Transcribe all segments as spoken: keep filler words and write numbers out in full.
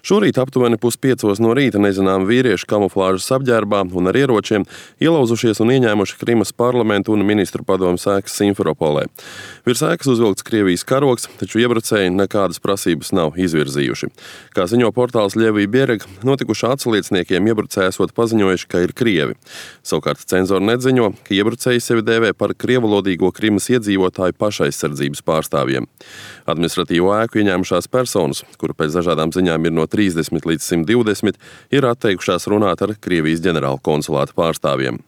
Šorīt aptuveni puspiecos no rīta nezināmi vīrieši kamuflāžas apģērbā un ar ieročiem ielauzušies un ieņēmuši Krimas parlamentu un ministru padomes ēkas Simferopolē. Virs ēkas uzvilkts Krievijas karogs, taču iebrucēji nekādas prasības nav izvirzījuši. Kā ziņo portāls Ļevija Bierega, notikušā atslieciniekiem iebrucēji esot paziņojuši, ka ir krievi. Savukārt cenzori nedziņo, ka iebrucēji sevi dēvē par krievalodīgo Krimas iedzīvotāju pašaizsardzības pārstāvjiem. Administratīvo ēku ieņēmušās personas, kuru pēc dažādām ziņām ir no trīsdesmit līdz simt divdesmit, ir atteikušās runāt ar Krievijas ģenerāla konsulāta pārstāvjiem.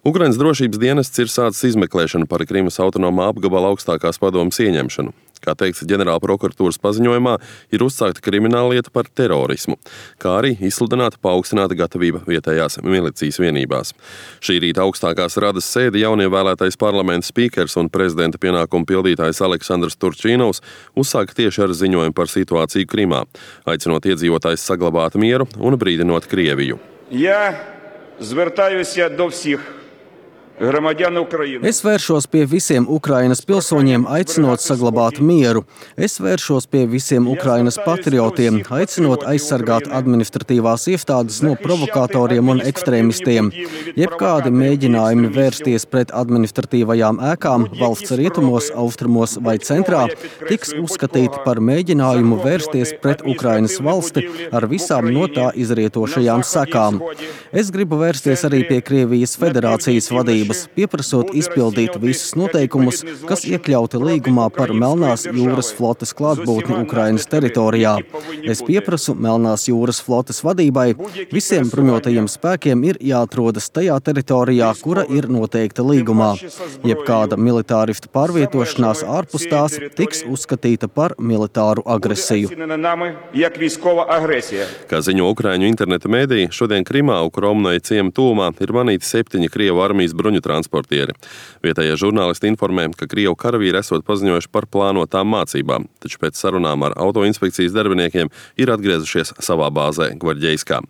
Ukrainas drošības dienests ir sācis izmeklēšanu par Krimas autonomā apgabala augstākās padomes ieņemšanu. Kā teikts ģenerāla prokuratūras paziņojumā, ir uzsākta krimināllieta par terorismu, kā arī izsludināta paaugstināta gatavība vietējās milicijas vienībās. Šī rīta augstākās radas sēdi jaunievēlētais parlamenta spīkers un prezidenta pienākumu pildītājs Aleksandrs Turčīnovs uzsāka tieši ar ziņojumu par situāciju Krimā, aicinot iedzīvotājus saglabāt mieru un brīdinot Krieviju. Я звертаюся до всіх громадян України. Es vēršos pie visiem Ukrainas pilsoņiem, aicinot saglabāt mieru. Es vēršos pie visiem Ukrainas patriotiem, aicinot aizsargāt administratīvās iestādes no provokatoriem un ekstrēmistiem. Jebkādi mēģinājumi vērsties pret administratīvajām ēkām valsts rietumos, austrumos vai centrā tiks uzskatīti par mēģinājumu vērsties pret Ukrainas valsti ar visām no tā izrietošajām sekām. Es gribu vērsties arī pie Krievijas federācijas vadības, pieprasot izpildīt visus noteikumus, kas iekļauti līgumā par Melnās jūras flotes klātbūtni Ukrainas teritorijā. Es pieprasu Melnās jūras flotes vadībai, visiem bruņotajiem spēkiem ir jāatrodas tajā teritorijā, kura ir noteikta līgumā. Jebkāda militāristu pārvietošanās ārpus tās tiks uzskatīta par militāru agresiju. Kā ziņo ukraiņu interneta mēdīji, šodien Krimā, Ukromnoja ciema tuvumā, ir manīti septiņi Krievu armijas bruņu transportieri. Vietējie žurnālisti informē, ka Krievu karavīri esot paziņojuši par plānotām mācībām, taču pēc sarunām ar autoinspekcijas darbiniekiem ir atgriezušies savā bāzē Gvarģejskā.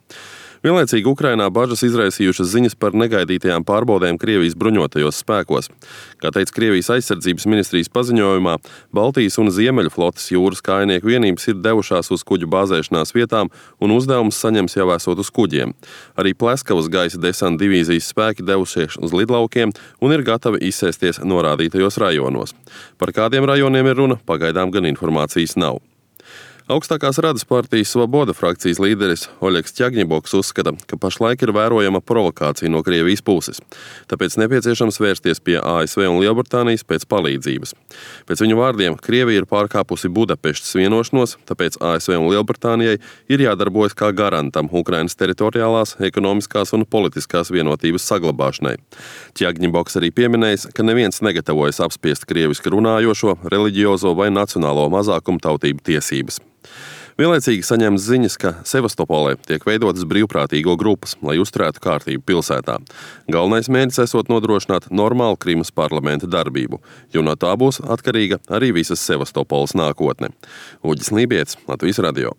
Vienlaicīgi Ukrainā bažas izraisījušas ziņas par negaidītajām pārbaudēm Krievijas bruņotajos spēkos. Kā teica Krievijas aizsardzības ministrijas paziņojumā, Baltijas un Ziemeļu flotes jūras kājnieku vienības ir devušās uz kuģu bāzēšanās vietām un uzdevumus saņems jau esot uz kuģiem. Arī Pleskavas gaisa desanta divīzijas spēki devušies uz lidlaukiem un ir gatavi izsēsties norādītajos rajonos. Par kādiem rajoniem ir runa, pagaidām gan informācijas nav. Augstākās radas partijas Svoboda frakcijas līderis Oļegs Ķagņiboks uzskata, ka pašlaik ir vērojama provokācija no Krievijas puses, tāpēc nepieciešams vērsties pie A S V un Lielbritānijas pēc palīdzības. Pēc viņu vārdiem, Krievija ir pārkāpusi Budapeštas vienošanos, tāpēc A S V un Lielbritānijai ir jādarbojas kā garantam Ukrainas teritoriālās, ekonomiskās un politiskās vienotības saglabāšanai. Ķagņiboks arī pieminējis, ka neviens negatavojas apspiest krieviski runājošo, reliģiozo vai nacionālo mazākumtautību tiesības. Vienlaicīgi saņemts ziņas, ka Sevastopolē tiek veidotas brīvprātīgo grupas, lai uzturētu kārtību pilsētā. Galvenais mērķis esot nodrošināt normālu Krimas parlamenta darbību, jo no tā būs atkarīga arī visas Sevastopoles nākotne. Uģis Lībietis, Latvijas radio.